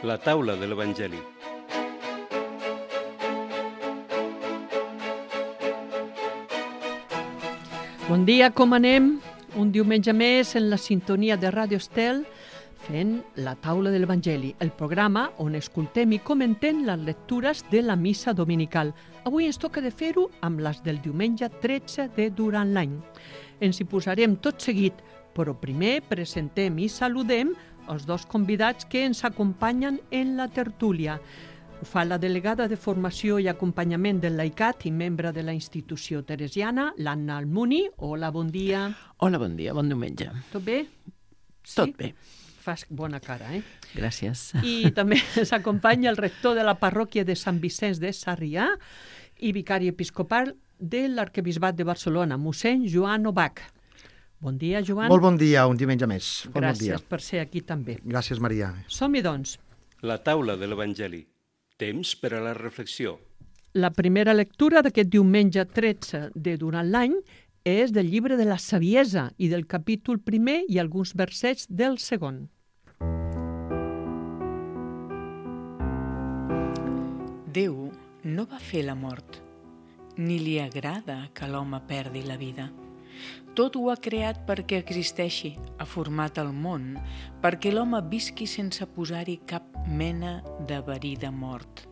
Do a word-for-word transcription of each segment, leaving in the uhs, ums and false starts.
La taula de l'Evangeli. Bon dia, com anem? Un diumenge més en la sintonia de Ràdio Estel fent la taula de l'Evangeli, el programa on escoltem i comentem les lectures de la missa dominical. Avui ens toca de fer-ho amb les del diumenge tretze de durant l'any. Ens hi posarem tot seguit, però primer presentem i saludem els dos convidats que ens acompanyen en la tertúlia. Ho fa la delegada de Formació i Acompanyament del Laicat i membre de la institució teresiana, l'Anna Almuni. Hola, bon dia. Hola, bon dia, bon diumenge. Tot bé? Sí? Tot bé. Fas bona cara, eh? Gràcies. I també ens acompanya el rector de la parròquia de Sant Vicenç de Sarrià i vicari episcopal de l'Arquebisbat de Barcelona, mossèn Joan Obach. Bon dia, Joan. Molt bon dia, un diumenge més. Molt Gràcies bon dia. per ser aquí també. Gràcies, Maria. Som-hi, doncs. La taula de l'Evangeli. Temps per a la reflexió. La primera lectura d'aquest diumenge tretze de durant l'any és del llibre de la Saviesa i del capítol primer i alguns versets del segon. Déu no va fer la mort, ni li agrada que l'home perdi la vida. Tot ho ha creat perquè existeixi, ha format el món, perquè l'home visqui sense posar-hi cap mena de verí de mort.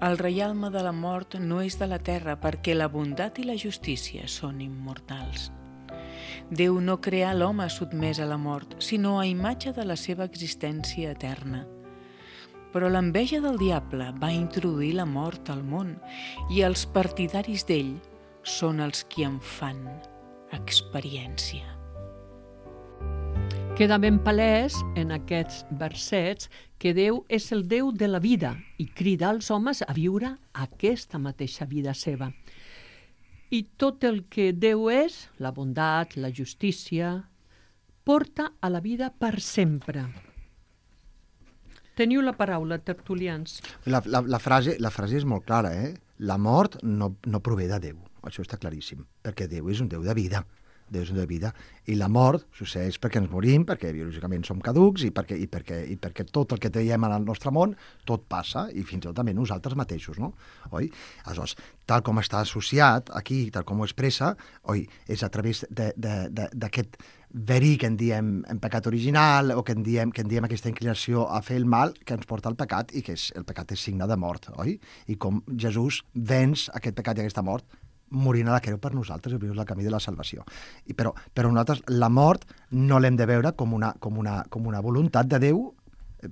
El reialme de la mort no és de la terra perquè la bondat i la justícia són immortals. Déu no creà l'home sotmès a la mort, sinó a imatge de la seva existència eterna. Però l'enveja del diable va introduir la mort al món i els partidaris d'ell són els qui en fan experiència. Queda ben palès en aquests versets que Déu és el Déu de la vida i crida als homes a viure aquesta mateixa vida seva. I tot el que Déu és, la bondat, la justícia, porta a la vida per sempre. Teniu la paraula, tertulians. La, la, la, frase, la frase és molt clara, eh? La mort no, no prové de Déu, això està claríssim, perquè Déu és un Déu de vida. Déu és un Déu de vida. I la mort succeeix perquè ens morim, perquè biològicament som caducs i perquè, i perquè, i perquè tot el que veiem en el nostre món, tot passa, i fins i tot també nosaltres mateixos, no? Oi? Aleshores, tal com està associat aquí, tal com ho expressa, oi, és a través d'aquest verí que en diem en pecat original o que en diem, que en diem aquesta inclinació a fer el mal que ens porta al pecat i que és, el pecat és signe de mort, oi? I com Jesús venç aquest pecat i aquesta mort morint a la creu per nosaltres i obrir el camí de la salvació. I però, però nosaltres la mort no l'hem de veure com una, com una, com una voluntat de Déu,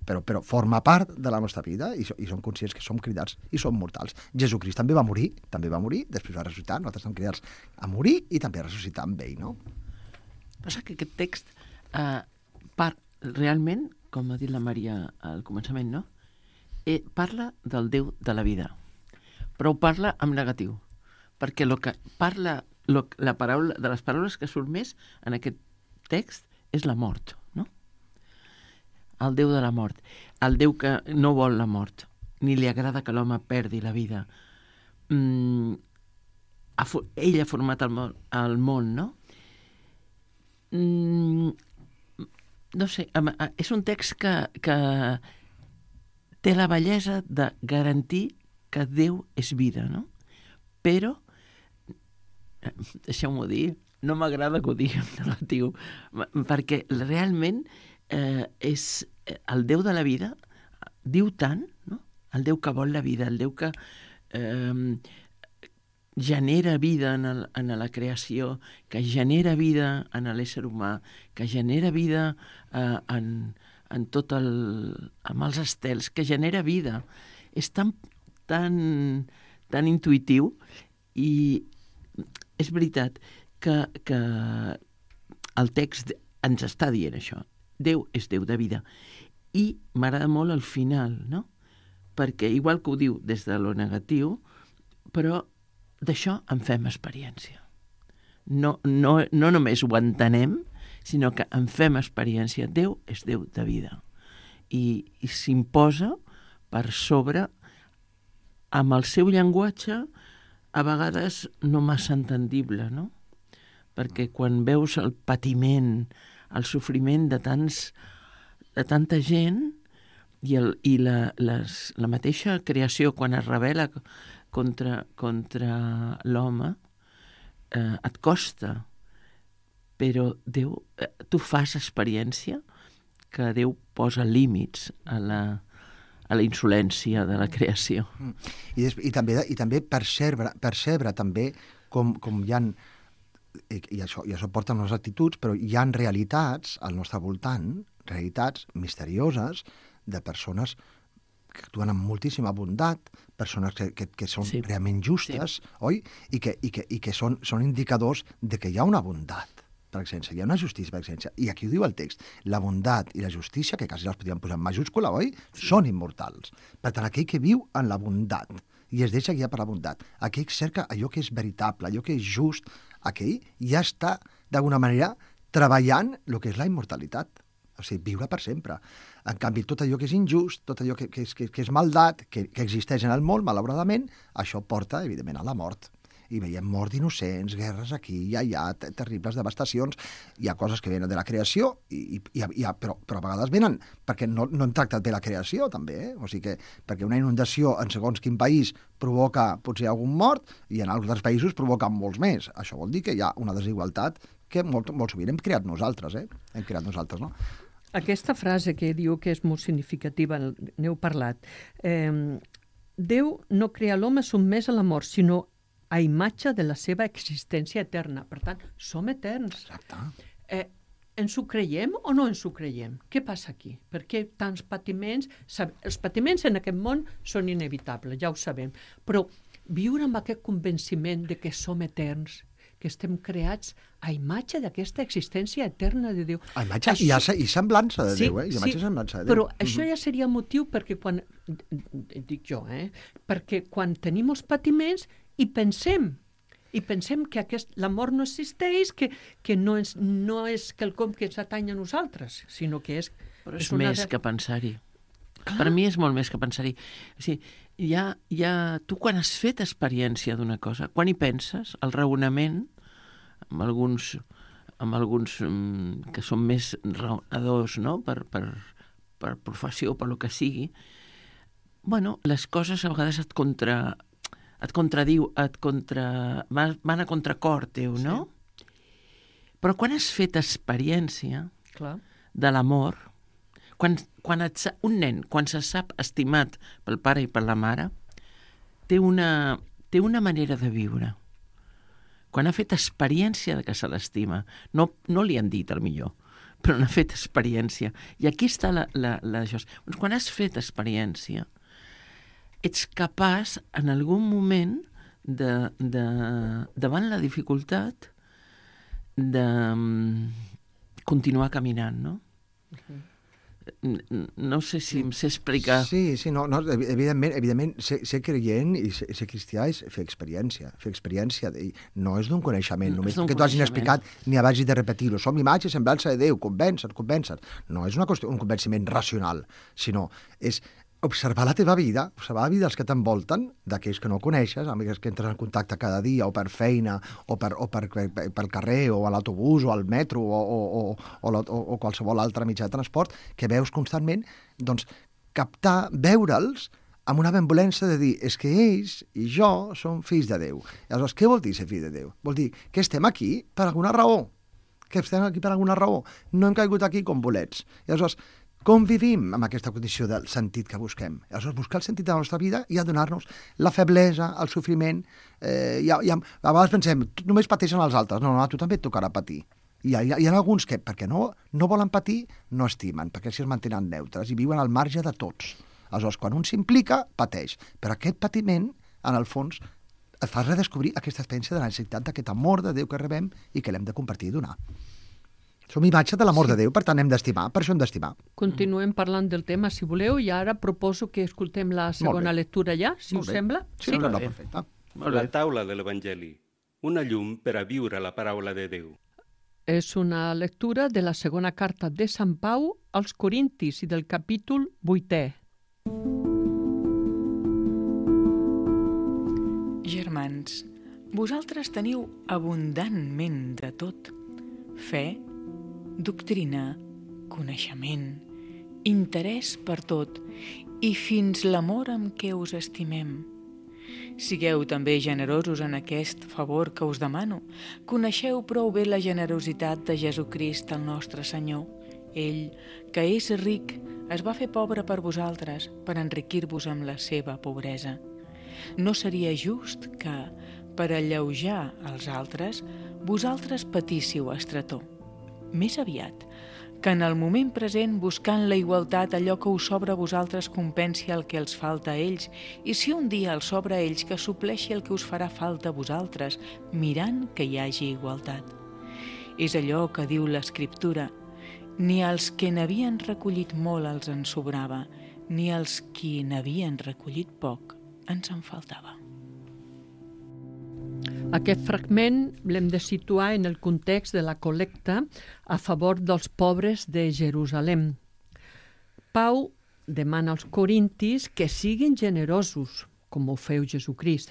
però, però forma part de la nostra vida i, i som conscients que som cridats i som mortals. Jesucrist també va morir, també va morir, després va ressuscitar, nosaltres som cridats a morir i també a ressuscitar amb ell, no? Passa que aquest text eh, par, realment, com ha dit la Maria al començament, no? Eh, parla del Déu de la vida, però ho parla en negatiu, perquè lo que parla, lo, la paraula, de les paraules que surt més en aquest text és la mort, no? El Déu de la mort, el Déu que no vol la mort, ni li agrada que l'home perdi la vida. Mm, ha, ell ha format el món, el món, no? Mm, no sé, és un text que, que té la bellesa de garantir que Déu és vida, no? Però, deixeu-m'ho dir, no m'agrada que ho digui en negatiu, perquè realment eh, és el Déu de la vida, diu tant, no? El Déu que vol la vida, el Déu que eh, genera vida en, el, en la creació, que genera vida en l'ésser humà, que genera vida eh, en, en tot el... amb els estels, que genera vida. És tan, tan, tan intuïtiu i és veritat que, que el text ens està dient això. Déu és Déu de vida. I m'agrada molt el final, no? Perquè igual que ho diu des de lo negatiu, però d'això en fem experiència. No, no, no només ho entenem, sinó que en fem experiència. Déu és Déu de vida. I, i s'imposa per sobre amb el seu llenguatge a vegades no massa entendible, no? Perquè quan veus el patiment, el sofriment de tants, de tanta gent, I, el, i la, les, la mateixa creació, quan es rebel·la contra, contra l'home, eh, et costa, però Déu, eh, tu fas experiència que Déu posa límits a la, a la insolència de la creació. I, des, i també, i també percebre, percebre també com, com hi ha, i, i, això, i això porta a les actituds, però hi ha realitats al nostre voltant, realitats misterioses de persones que actuen amb moltíssima bondat, persones que, que, que són Sí. realment justes, Sí. oi? I que, i que, i que són, són indicadors de que hi ha una bondat, per exemple, hi ha una justícia, per exemple. I aquí ho diu el text, la bondat i la justícia, que quasi les podríem posar en majúscula, oi? Sí. Són immortals. Per tant, aquell que viu en la bondat i es deixa guiar per la bondat, aquell que cerca allò que és veritable, allò que és just, aquell ja està, d'alguna manera, treballant el que és la immortalitat. O sigui, viure per sempre. En canvi, tot allò que és injust, tot allò que, que, és, que, que és maldat, que, que existeix en el món, malauradament, això porta, evidentment, a la mort. I veiem mort d'innocents, guerres aquí i allà, terribles devastacions. Hi ha coses que venen de la creació, i, i, i, però, però a vegades venen perquè no, no hem tractat bé la creació, també. Eh? O sigui que perquè una inundació en segons quin país provoca potser algun mort i en altres països provoca molts més. Això vol dir que hi ha una desigualtat que molt, molt sovint hem creat nosaltres, eh? Hem creat nosaltres, no? Aquesta frase que diu que és molt significativa, n'heu parlat. Eh, Déu no crea l'home sotmès a la mort, sinó a imatge de la seva existència eterna. Per tant, som eterns. Exacte. Eh, ens ho creiem o no ens ho creiem? Què passa aquí? Per què tants patiments? Els patiments en aquest món són inevitables, ja ho sabem, però viure amb aquest convenciment de que som eterns, que estem creats a imatge d'aquesta existència eterna de Déu. A imatge Això... i, a, i semblança de sí, Déu, eh? I imatge sí, i semblança de Déu. però això ja seria motiu perquè quan, dic jo, eh? perquè quan tenim els patiments i pensem, i pensem que aquest, la mort no existeix, que, que no, és, no és quelcom que ens atany a nosaltres, sinó que és... Però és, és una més de... que pensar-hi. Per mi és molt més que pensar-hi. O sigui, hi ha, hi ha... Tu quan has fet experiència d'una cosa, quan hi penses, el raonament, amb alguns, amb alguns um, que són més raonadors, no?, per, per, per professió o per lo que sigui, bueno, les coses a vegades et contra... et contradiu, et contra... van a contracor teu, no? Sí. Però quan has fet experiència Clar. de l'amor, quan, quan et, sa- un nen, quan se sap estimat pel pare i per la mare, té una, té una manera de viure. Quan ha fet experiència de que se l'estima, no, no li han dit el millor, però n'ha fet experiència. I aquí està la, la, la, això. Quan has fet experiència, ets capaç en algun moment de, de, davant la dificultat de um, continuar caminant, no? Uh-huh. No sé si em sé explicar. Sí, sí, no, no evidentment, evidentment ser, ser creient i ser, ser cristià és fer experiència, fer experiència, de, no és d'un coneixement, només que tu hagin explicat ni hagis de repetir-ho, som imatge i semblança de Déu, convèncer, convèncer. No és una qüestió, un convenciment racional, sinó és observar la teva vida, observar la vida dels que t'envolten, d'aquells que no coneixes, amb aquells que entres en contacte cada dia, o per feina, o, per, o per, per, pel carrer, o a l'autobús, o al metro, o, o, o, o, o, o qualsevol altre mitjà de transport, que veus constantment, doncs, captar, veure'ls amb una benvolència de dir, és que ells i jo som fills de Déu. I aleshores, què vol dir ser fill de Déu? Vol dir que estem aquí per alguna raó, que estem aquí per alguna raó. No hem caigut aquí com bolets. I aleshores, com vivim amb aquesta condició del sentit que busquem? Aleshores, buscar el sentit de la nostra vida i adonar-nos la feblesa, el sofriment. Eh, i, i, a vegades pensem, només pateixen els altres. No, no, a tu també et tocarà patir. I hi ha, hi ha alguns que, perquè no, no volen patir, no estimen, perquè així es mantenen neutres i viuen al marge de tots. Aleshores, quan un s'implica, pateix. Però aquest patiment, en el fons, et fa redescobrir aquesta experiència de la necessitat d'aquest amor de Déu que rebem i que l'hem de compartir i donar. Som imatge de l'amor sí. de Déu, per tant hem d'estimar, per això hem d'estimar. Continuem parlant del tema, si voleu, i ara proposo que escoltem la segona lectura ja, si us sembla. Sí, sí? Sembla perfecte. La taula de l'Evangeli, una llum per a viure la paraula de Déu. És una lectura de la segona carta de Sant Pau als Corintis i del capítol vuitè. Germans, vosaltres teniu abundantment de tot: fe, doctrina, coneixement, interès per tot i fins l'amor amb què us estimem. Sigueu també generosos en aquest favor que us demano. Coneixeu prou bé la generositat de Jesucrist, el nostre Senyor. Ell, que és ric, es va fer pobre per vosaltres, per enriquir-vos amb la seva pobresa. No seria just que, per alleujar els altres, vosaltres patíssiu estretor. Més aviat, que en el moment present, buscant la igualtat, allò que us sobra a vosaltres compensi el que els falta a ells, i si un dia els sobra a ells, que supleixi el que us farà falta a vosaltres, mirant que hi hagi igualtat. És allò que diu l'Escriptura: ni als que n'havien recollit molt els en sobrava, ni als qui n'havien recollit poc ens en faltava. Aquest fragment l'hem de situar en el context de la col·lecta a favor dels pobres de Jerusalem. Pau demana als corintis que siguin generosos, com ho feu Jesucrist.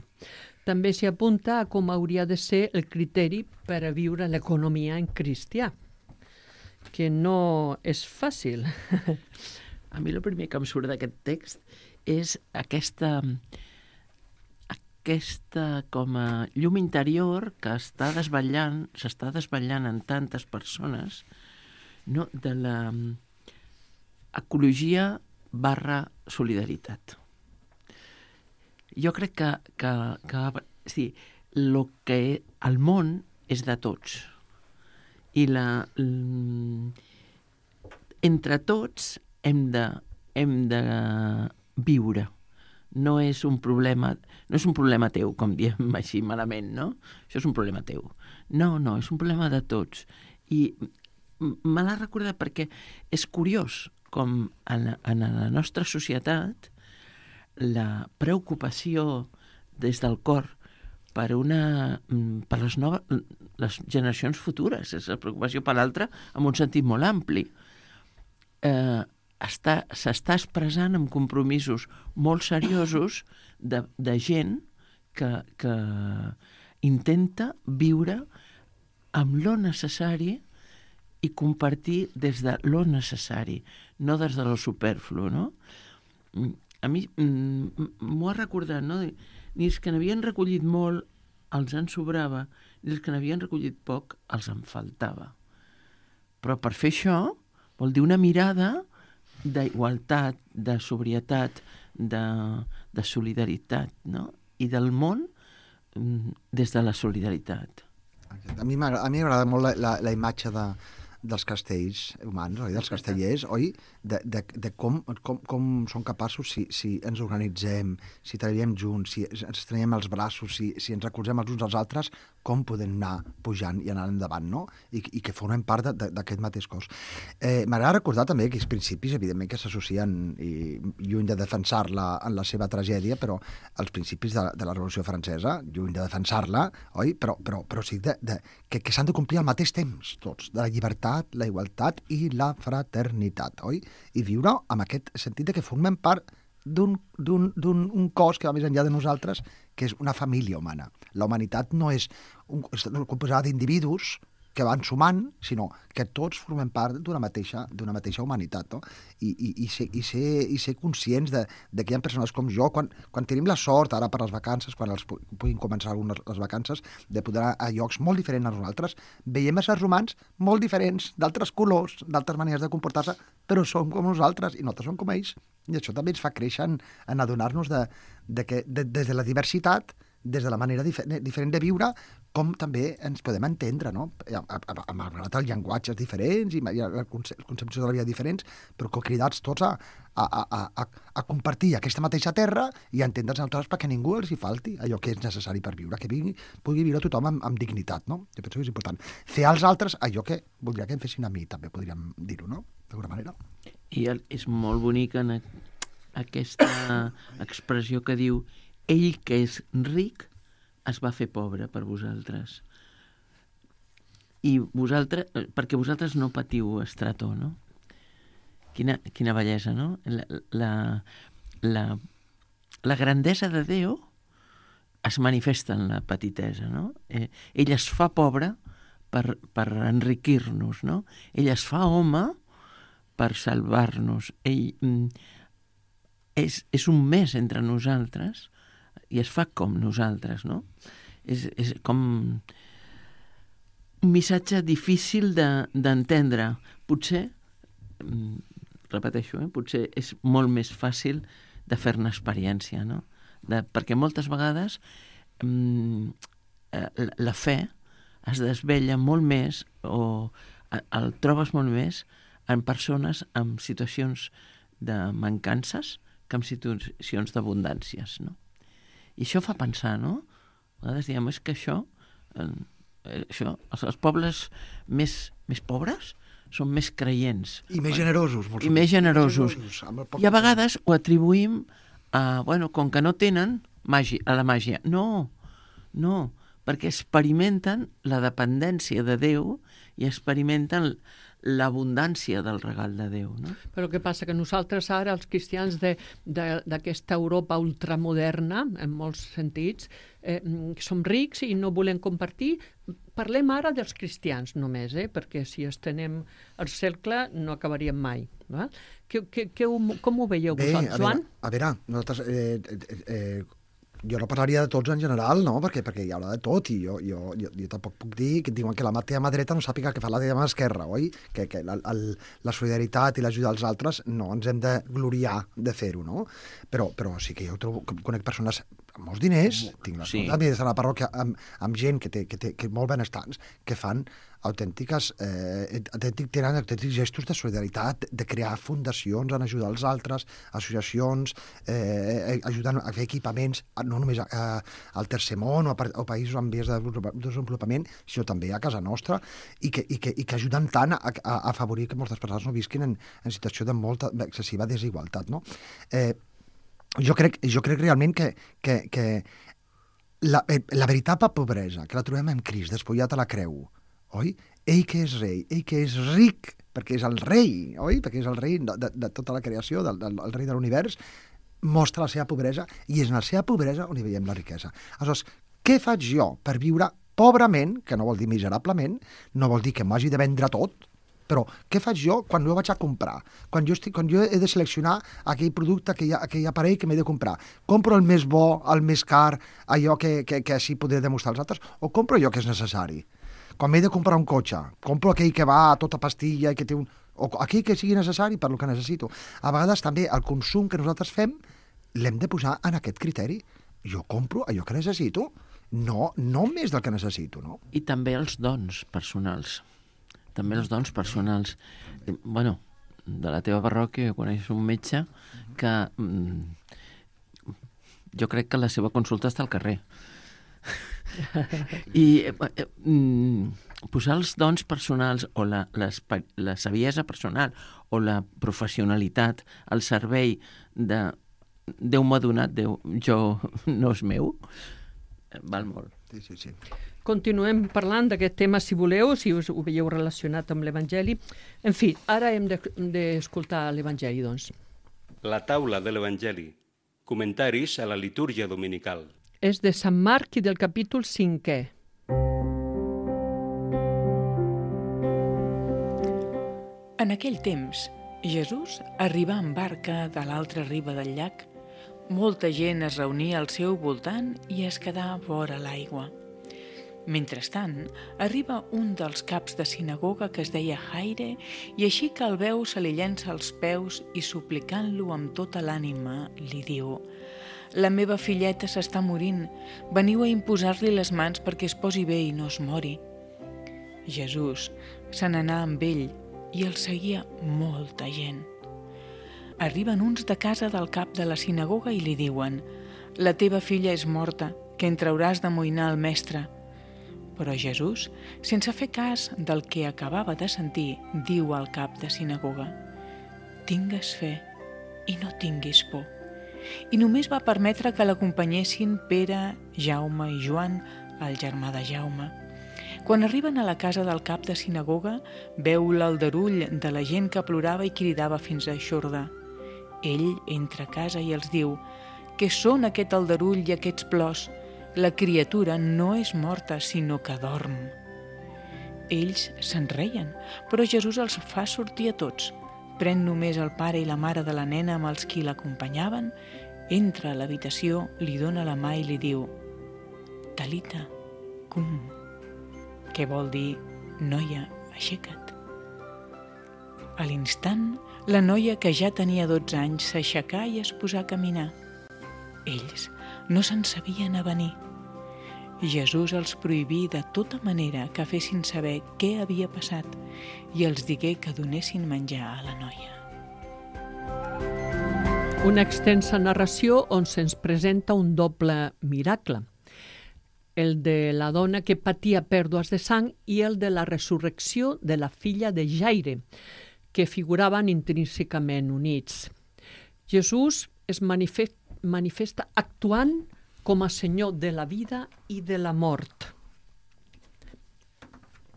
També s'hi apunta a com hauria de ser el criteri per a viure l'economia en cristià, que no és fàcil. A mi el primer que em surt d'aquest text és aquesta... aquesta com a llum interior que està desvetllant, s'està desvetllant en tantes persones, no? De la ecologia barra solidaritat. Jo crec que, que, que sí, lo que el món és de tots. I la, entre tots hem de, hem de viure. No és un problema, no és un problema teu, com diem així malament, no? Això és un problema teu. No, no, és un problema de tots. I me l'ha recordat perquè és curiós com en, en la nostra societat la preocupació des del cor per, una, per les, noves, les generacions futures, és la preocupació per l'altra en un sentit molt ampli. Eh, està, s'està expressant amb compromisos molt seriosos de, de gent que, que intenta viure amb lo necessari i compartir des de lo necessari, no des de lo superflu, no? A mi m'ho ha recordat, no? Ni els que n'havien recollit molt els en sobrava, ni els que n'havien recollit poc els en faltava. Però per fer això vol dir una mirada d'igualtat, de sobrietat, de, de solidaritat, no? I del món des de la solidaritat. A mi m'agrada molt la, la, la imatge de, dels castells humans, oi? Dels castellers, oi? De, de, de com, com, com són capaços, si, si ens organitzem, si treballem junts, si ens estrenyem els braços, si, si ens recolzem els uns als altres, com podem anar pujant i anar endavant, no? I, i que formem part d'aquest mateix cos. Eh, M'agrada recordar també que els principis, evidentment, que s'associen, i lluny de defensar-la en la seva tragèdia, però els principis de, de la Revolució Francesa, lluny de defensar-la, oi? Però, però, però sí de, de, que, que s'han de complir al mateix temps, tots, de la llibertat, la igualtat i la fraternitat, oi? I viure amb aquest sentit de que formem part d'un, d'un, d'un un cos que va més enllà de nosaltres, que és una família humana. La humanitat no és, un, és composada d'individus que van sumant, sinó que tots formem part d'una mateixa, d'una mateixa humanitat, no? I, i, i, ser, i, ser, i ser conscients de, de que hi ha persones com jo, quan, quan tenim la sort, ara per les vacances, quan els puguin començar algunes les vacances, de poder anar a llocs molt diferents a nosaltres, veiem éssers humans molt diferents, d'altres colors, d'altres maneres de comportar-se, però som com nosaltres, i nosaltres som com ells. I això també ens fa créixer en, en adonar-nos de, de que de, des de la diversitat, des de la manera difer diferent de viure, com també ens podem entendre, no? Malgrat els llenguatges diferents i les concepcions de la vida diferents, però cridats tots a, a, a, a, a compartir aquesta mateixa terra i a entendre'ns nosaltres perquè ningú els hi falti allò que és necessari per viure, que vingui, pugui viure tothom amb, amb dignitat, no? Jo penso que és important. Fer als altres allò que voldria que em fessin a mi, també podríem dir-ho, no? D'alguna manera. I és molt bonic en aquesta expressió que diu: ell que és ric es va fer pobre per vosaltres. I vosaltres, perquè vosaltres no patiu estretor, no? Quina, quina bellesa, no? La, la, la, la grandesa de Déu es manifesta en la petitesa, no? Eh, ell es fa pobre per, per enriquir-nos, no? Ell es fa home per salvar-nos. Ell mm, és, és un més entre nosaltres i es fa com nosaltres, no? És, és com un missatge difícil d'entendre. De, potser, mm, repeteixo, eh? potser és molt més fàcil de fer-ne experiència, no? De, perquè moltes vegades mm, la, la fe es desvella molt més o el trobes molt més en persones amb situacions de mancances que en situacions d'abundàncies, no? I això fa pensar, no? A vegades diem, és que això, eh, això els, els pobles més, més pobres són més creients. I més generosos. I més generosos. I a vegades ho atribuïm a, bueno, com que no tenen màgia, a la màgia. No, no, perquè experimenten la dependència de Déu i experimenten l'abundància del regal de Déu, no? Però què passa? Que nosaltres ara, els cristians d'aquesta Europa ultramoderna, en molts sentits, eh, som rics i no volem compartir. Parlem ara dels cristians només, eh? Perquè si estenem el cercle no acabaríem mai. Va? Que, que, que, com ho veieu vosaltres, Joan? A veure, nosaltres... Eh, eh, eh, jo no parlaria de tots en general, no? Perquè, perquè hi haurà de tot i jo, jo, jo, jo tampoc puc dir que diuen que la teva mà dreta no sàpiga que fa la teva mà esquerra, oi? Que, que la, el, la solidaritat i l'ajuda als altres no ens hem de gloriar de fer-ho, no? Però, però sí que jo trobo, que conec persones amb molts diners, tinc la sí. sort de la parròquia amb, amb gent que té, que té que molt benestants, que fan autèntiques, eh, autèntic, tenen autèntics gestos de solidaritat, de crear fundacions en ajudar els altres, associacions, eh, ajudant a fer equipaments, no només a, a, al tercer món o a, a països en vies de desenvolupament, sinó també a casa nostra, i que, i que, i que ajuden tant a, a, a afavorir que moltes persones no visquin en, en situació de molta excessiva desigualtat, no? Eh, jo, crec, jo crec realment que, que, que la, la veritable pobresa, que la trobem en Crist, despullat a la creu, oi? Ell que és rei, ell que és ric, perquè és el rei, oi? Perquè és el rei de, de, de tota la creació, del, del, el rei de l'univers, mostra la seva pobresa, i és en la seva pobresa on hi veiem la riquesa. Aleshores, què faig jo per viure pobrament, que no vol dir miserablement, no vol dir que m'ho hagi de vendre tot, però què faig jo quan jo vaig a comprar? Quan jo, estic, quan jo he de seleccionar aquell producte, aquell, aquell aparell que m'he de comprar? Compro el més bo, el més car, allò que, que, que així podré demostrar als altres, o compro allò que és necessari? Quan m'he de comprar un cotxe, compro aquell que va a tota pastilla i que té un... o aquell que sigui necessari per lo que necessito. A vegades també el consum que nosaltres fem l'hem de posar en aquest criteri. Jo compro allò que necessito, no, no més del que necessito, no? I també els dons personals. També els dons personals. Bueno, de la teva parròquia coneixes un metge que mm, jo crec que la seva consulta està al carrer. I eh, mm, posar els dons personals o la, la, la saviesa personal o la professionalitat al servei de Déu m'ha donat, Déu, jo no és meu, val molt. Sí, sí, sí. Continuem parlant d'aquest tema, si voleu, si us ho veieu relacionat amb l'Evangeli. En fi, ara hem d'escoltar l'Evangeli, doncs. La taula de l'Evangeli. Comentaris a la litúrgia dominical. És de Sant Marc i del capítol cinquè. En aquell temps, Jesús arribà en barca de l'altra riba del llac. Molta gent es reunia al seu voltant i es quedà vora l'aigua. Mentrestant, arriba un dels caps de sinagoga que es deia Jaire i així que el veu se li llença als peus i suplicant-lo amb tota l'ànima li diu: «La meva filleta s'està morint, veniu a imposar-li les mans perquè es posi bé i no es mori». Jesús se n'anà amb ell i el seguia molta gent. Arriben uns de casa del cap de la sinagoga i li diuen: «La teva filla és morta, que en trauràs d'amoïnar el mestre». Però Jesús, sense fer cas del que acabava de sentir, diu al cap de sinagoga: «Tingues fe i no tinguis por». I només va permetre que l'acompanyessin Pere, Jaume i Joan, el germà de Jaume. Quan arriben a la casa del cap de sinagoga, veu l'aldarull de la gent que plorava i cridava fins a eixordar. Ell entra a casa i els diu: «Què són aquest aldarull i aquests plors? La criatura no és morta, sinó que dorm». Ells se'n reien, però Jesús els fa sortir a tots. pren només el pare i la mare de la nena amb els qui l'acompanyaven, entra a l'habitació, li dona la mà i li diu «Talita, cum», que vol dir «Noia, aixeca't». A l'instant, la noia, que ja tenia dotze anys, s'aixecà i es posà a caminar. Ells no se'n sabien avenir. Jesús els prohibí de tota manera que fessin saber què havia passat i els digué que donessin menjar a la noia. Una extensa narració on se'ns presenta un doble miracle, el de la dona que patia pèrdues de sang i el de la resurrecció de la filla de Jaire, que figuraven intrínsecament units. Jesús es manifesta, manifesta actuant com a senyor de la vida i de la mort.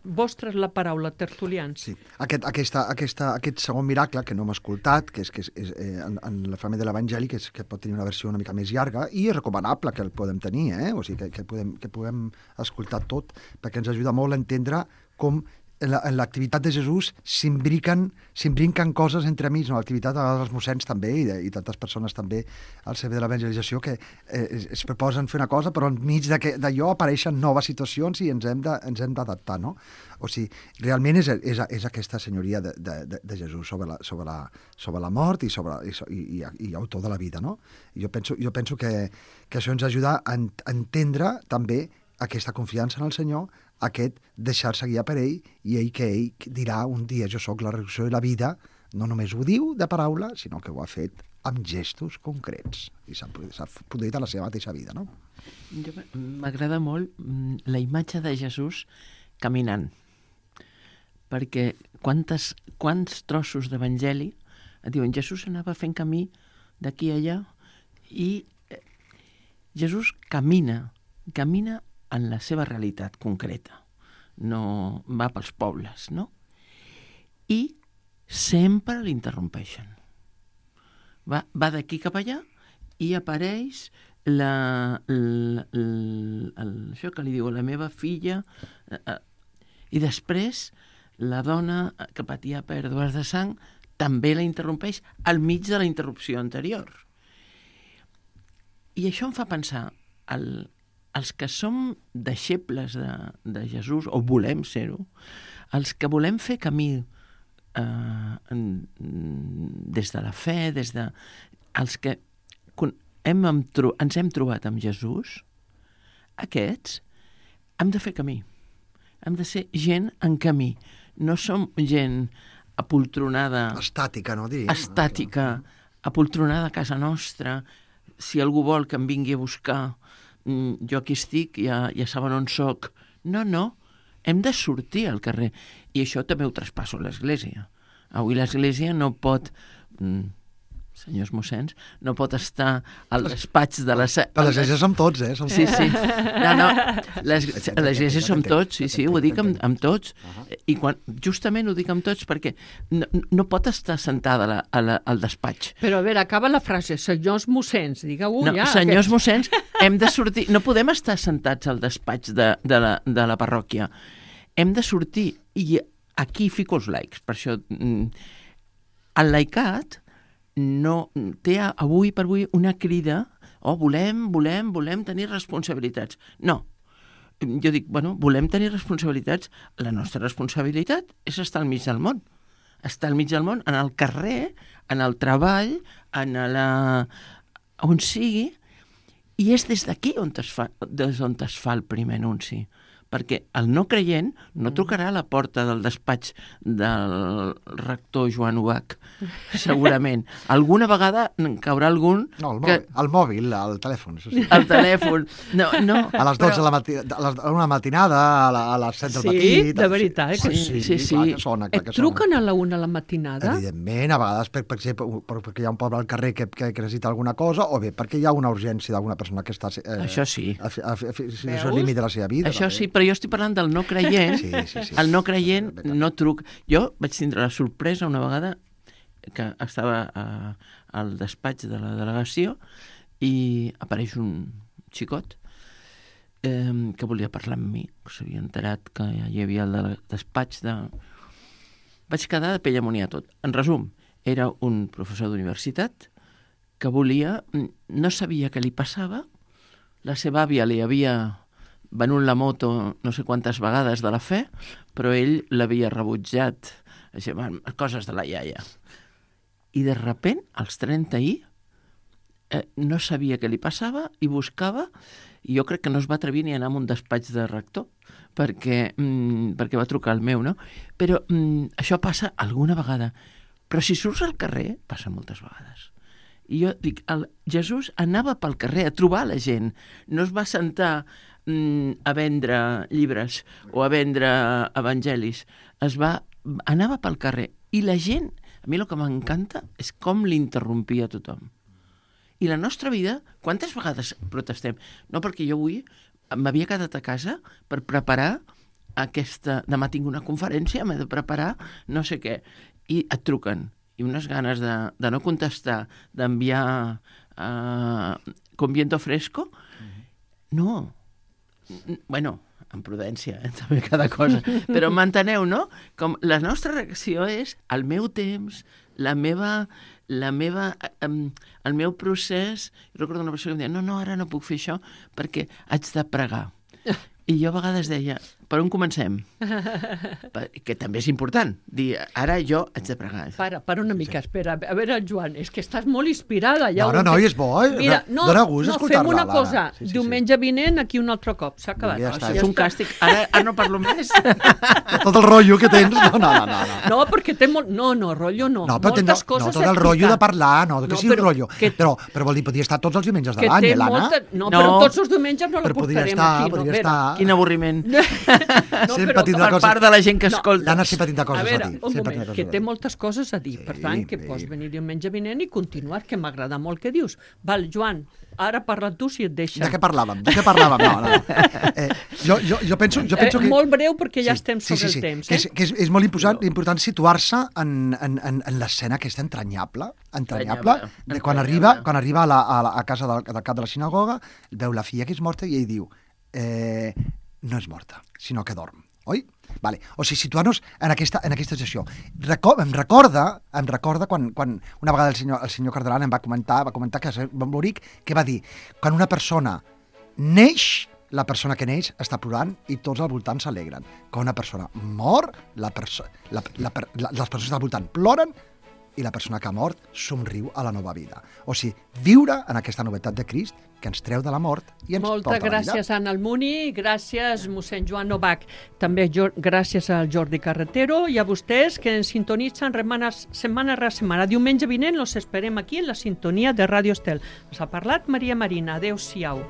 Vostra és la paraula, tertulians. Sí. Aquest, aquesta, aquesta, aquest segon miracle, que no hem escoltat, que és, que és, és eh, en, en la fragment de l'Evangeli, que, és, que pot tenir una versió una mica més llarga, i és recomanable que el podem tenir, eh? O sigui, que, que, podem, que podem escoltar tot, perquè ens ajuda molt a entendre com en l'activitat de Jesús s'imbriquen s'imbriquen coses entre amics, no? L'activitat dels mossens també, i, de, i tantes persones també al servei de l'evangelització, que eh, es, es proposen fer una cosa, però enmig d'allò apareixen noves situacions i ens hem de, ens hem d'adaptar, no? O sigui, realment és, és, és aquesta senyoria de, de, de Jesús sobre la, sobre, la, sobre la mort i, sobre, i, i, i autor de la vida, no? Jo penso, jo penso que, que això ens ajuda a entendre també aquesta confiança en el Senyor, aquest deixar-se guiar per ell, i ell que ell dirà un dia jo sóc la resurrecció i la vida, no només ho diu de paraula, sinó que ho ha fet amb gestos concrets, i s'ha produït a la seva mateixa vida, no? M'agrada molt la imatge de Jesús caminant, perquè quantes, quants trossos d'Evangeli diuen Jesús anava fent camí d'aquí a allà, i Jesús camina, camina en la seva realitat concreta, no va pels pobles, no? I sempre l'interrompeixen. Va, va d'aquí cap allà i apareix la, la, la, la, això que li diu, la meva filla, eh, i després la dona que patia pèrdues de sang també la interrompeix al mig de la interrupció anterior. I això em fa pensar el els que som deixebles de, de Jesús, o volem ser-ho, els que volem fer camí eh, en, des de la fe, des de... els que hem, ens hem trobat amb Jesús, aquests hem de fer camí. Hem de ser gent en camí. No som gent apoltronada... Estàtica, no? Diria. Estàtica, apoltronada a casa nostra. Si algú vol que em vingui a buscar... jo aquí estic, ja, ja saben on soc. No, no, hem de sortir al carrer. I això també ho traspasso a l'Església. Avui l'Església no pot, mm, senyors mossens, no pot estar al despatx de la... Però l'Església som tots, eh? Som sí, sí. No, no, l'Església som tots, sí, sí, ho dic amb, amb tots. I quan, justament ho dic amb tots perquè no, no pot estar sentada a la, a la, al despatx. Però a veure, acaba la frase, senyors mossens, digueu no, ja. Senyors aquest... mossens, hem de sortir, no podem estar sentats al despatx de, de, la, de la parròquia. Hem de sortir, i aquí fico els laics, per això el laicat no té avui per avui una crida, oh, volem, volem, volem tenir responsabilitats. No. Jo dic, bueno, volem tenir responsabilitats. La nostra responsabilitat és estar al mig del món. Estar al mig del món, en el carrer, en el treball, en la... on sigui, i és des d'aquí on es fa, des on es fa el primer anunci. Perquè el no creient no trucarà a la porta del despatx del rector Joan Ubach, segurament. Alguna vegada caurà algun... No, el que... mòbil, el mòbil, el telèfon, això sí. El telèfon, no, no. A les dotze però... de la mati... a les... a una matinada, a, la... a les set del sí, matí... Sí, de veritat. Sí, sí, sí. sí. Clar que sona, clar Et que sona. truquen a la una de la matinada? Evidentment, a vegades per, per, per, perquè hi ha un poble al carrer que, que, que necessita alguna cosa, o bé perquè hi ha una urgència d'alguna persona que està... Eh, això sí. A, a, a, a, a, a límit de la seva vida. Això també. Sí, però jo estic parlant del no creient. Sí, sí, sí. El no creient no truc. Jo vaig tindre la sorpresa una vegada que estava a, al despatx de la delegació i apareix un xicot eh, que volia parlar amb mi, que s'havia enterat que ja hi havia el despatx de... Vaig quedar de pell amunt a tot. En resum, era un professor d'universitat que volia, no sabia què li passava, la seva àvia li havia venut la moto no sé quantes vegades de la fe, però ell l'havia rebutjat, així, coses de la iaia. I de repent, als trenta i, eh, no sabia què li passava i buscava, i jo crec que no es va atrevir ni a anar a un despatx de rector, perquè, mm, perquè va trucar al meu, no? Però mm, això passa alguna vegada. Però si surts al carrer, passa moltes vegades. I jo dic, el Jesús anava pel carrer a trobar la gent, no es va sentar mm, a vendre llibres o a vendre evangelis, es va, anava pel carrer. I la gent, a mi el que m'encanta és com l'interrompia tothom. I la nostra vida, quantes vegades protestem? No, perquè jo avui m'havia quedat a casa per preparar aquesta... Demà tinc una conferència, m'he de preparar no sé què. I et truquen. I unes ganes de, de no contestar, d'enviar uh, con viento fresco. No. Bueno, amb prudència, eh? També cada cosa. Però m'enteneu, no? Com la nostra reacció és el meu temps, la meva... la meva, um, el meu procés. Jo recordo una persona que em deia, no, no, ara no puc fer això perquè haig de pregar. I jo a vegades deia, per on comencem? Que també és important. Dir, ara jo haig de pregar. Para, para una mica, espera. A veure, Joan, és que estàs molt inspirada. Ja no, no, no, i és bo. Eh? Mira, no, dona gust no escoltar-la. fem una cosa. Sí, sí, Diumenge vinent, aquí un altre cop. S'ha acabat. Ja està. Això és un càstig. Ara, ara no parlo més. Tot el rotllo que tens. No, no, no. No, no perquè té molt... No, no, rotllo no. No, però moltes no, coses no, tot el rotllo de parlar, no, que no, sigui però, rotllo. Que, però, però vol dir, podria estar tots els diumenges de que l'any, té eh, l'Anna? molta... No, No. però tots els diumenges no la Però podria portarem estar, aquí. podria no, estar. Quin avorriment. No, Sempre però, tindrà Per coses- part de la gent que No, escolta. L'Anna sempre tindrà a coses a, veure, dir. un Sempre moment, tindrà que coses té a dir. moltes coses a dir. Sí, Per tant, que sí. pots venir diumenge vinent i continuar, que m'agrada molt que dius. Val, Joan, ara parla tu si et deixa. De què parlàvem? De què parlàvem? No, no. Eh, jo, jo, jo penso, jo penso eh, que... Molt breu perquè ja Sí, estem sí, sobre sí, sí. el temps. Que Eh? és, que és, és molt important, important situar-se en, en, en, en l'escena aquesta entranyable, entranyable, de quan Entranyable. arriba, quan arriba a, la, a, la, a casa del, del cap de la sinagoga, veu la filla que és morta i ell diu eh, no és morta, sinó que dorm. Oi? Vale. O sigui, situar-nos en aquesta, en aquesta situació. Reco em recorda, em recorda quan, quan una vegada el senyor, el senyor Cardelan em va comentar, va comentar que va morir, que va dir, quan una persona neix, la persona que neix està plorant i tots al voltant s'alegren. Quan una persona mor, la perso la, la, la, les persones al voltant ploren i la persona que ha mort somriu a la nova vida. O sigui, viure en aquesta novetat de Crist que ens treu de la mort i ens Moltes porta a la vida. gràcies, Anna Almuni, gràcies, mossèn Joan Novak, també jo, gràcies al Jordi Carretero i a vostès que ens sintonitzen setmanes, setmana rere setmana. Diumenge vinent los esperem aquí en la sintonia de Ràdio Estel. Ens ha parlat Maria Marina. Adéu-siau.